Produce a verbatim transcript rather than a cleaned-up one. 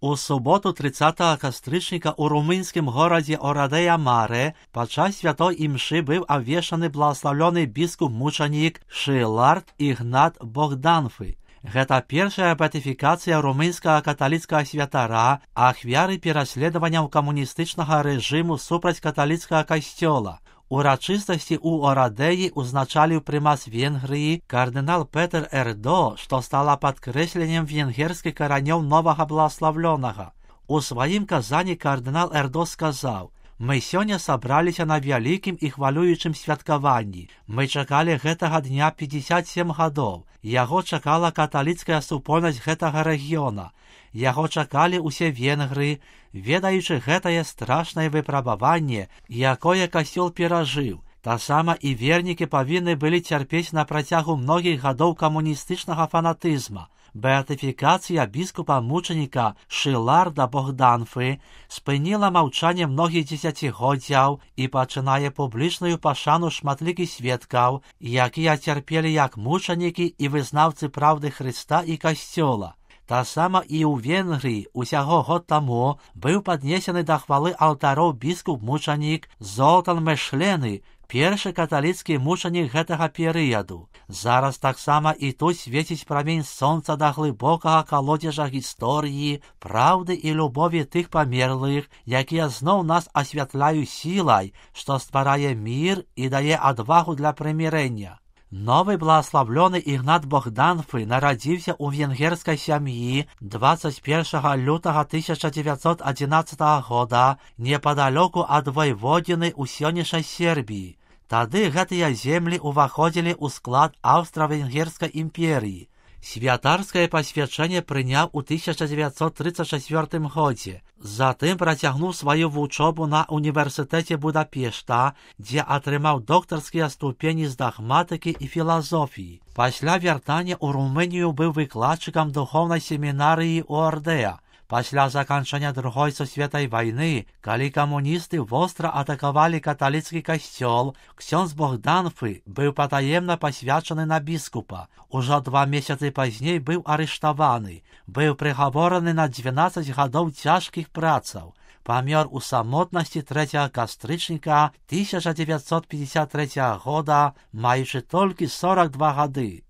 У суботу тридцятого кастрычніка ў румынскім горадзе Орадея-Маре падчас святой імшы быў абвешчаны благаслаўлёны біскуп-мучанік Шилард Ігнат Богданфы. Гэта першая беатыфікацыя румынскага каталіцкага святара, ахвяры пераследаванняў камуністычнага рэжыму супраць каталіцкага касцёла. Урачыстасці ў Орадеі узначаліў прымас Венгрыі кардынал Петр Эрдо, што стала падкрэсленнем венгерскіх каранёў новага благаслаўлёнага. У сваім казанні кардынал Эрдо сказаў: «Мы сёння сабраліся на вялікім і хвалюючым святкаванні. Мы чакалі гэтага дня пятьдесят семь гадоў. Яго чакала каталіцкая супольнасць гэтага рэгіёна. Яго чакалі ўсе венгры, ведаючы гэтае страшнае выпрабаванне, якое касцёл перажыў. Таксама і вернікі павінны былі цярпець на працягу многіх гадоў камуністычнага фанатызма. Беатыфікацыя біскупа-мучаніка Шиларда Богданфы спыніла маўчанне многіх дзесяцігоддзяў і пачынае публічную пашану шматлікіх сведкаў, якія цярпелі як мучанікі і вызнаўцы праўды Хрыста і касцёла. Таксама і ў Венгрыі усяго год таму быў паднесены да хвалы алтароў біскуп-мучанік Золтан Мешлены, першы каталіцкі мучанік гэтага перыяду. Зараз таксама і тут свеціць прамень сонца да глыбокага калодзежа гісторыі, праўды і любові тых памерлых, якія зноў нас асвятляюць сілай, што стварае мір і дае адвагу для прымірэння. Новы благаслаўлёны Ігнат Богданфы нарадзіўся ў венгерскай сям'і двадцать первого лютага тысяча девятьсот одиннадцатого года непадалёку ад войводзіны ў сённяшняй Сербіі. Тады гэтыя землі ўваходзілі ў склад Аўстра-Венгерскай імперіі. Святарскае пасвячэнне прыняў у тысяча девятьсот тридцать четвёртым годзе. Затым працягнуў сваю вучобу на універсітэце Будапешта, дзе атрымаў доктарскія ступені з дагматыкі і філазофіі. Пасля вяртання ў Румынію быў выкладчыкам духоўнай семінарыі ў Ордеа. Пасля заканчэння другой сусветнай вайны, калі камуністы востра атакавалі каталіцкі касцёл, ксёндз Богданфы быў патаемна пасвячаны на біскупа. Ужо два месяцы пазней быў арыштаваны, быў прыгавораны на двенадцать гадоў цяжкіх працаў. Памёр у самотнасці трэцяга кастрычніка тысяча девятьсот пятьдесят третьего года, маючы толькі сорок два гады.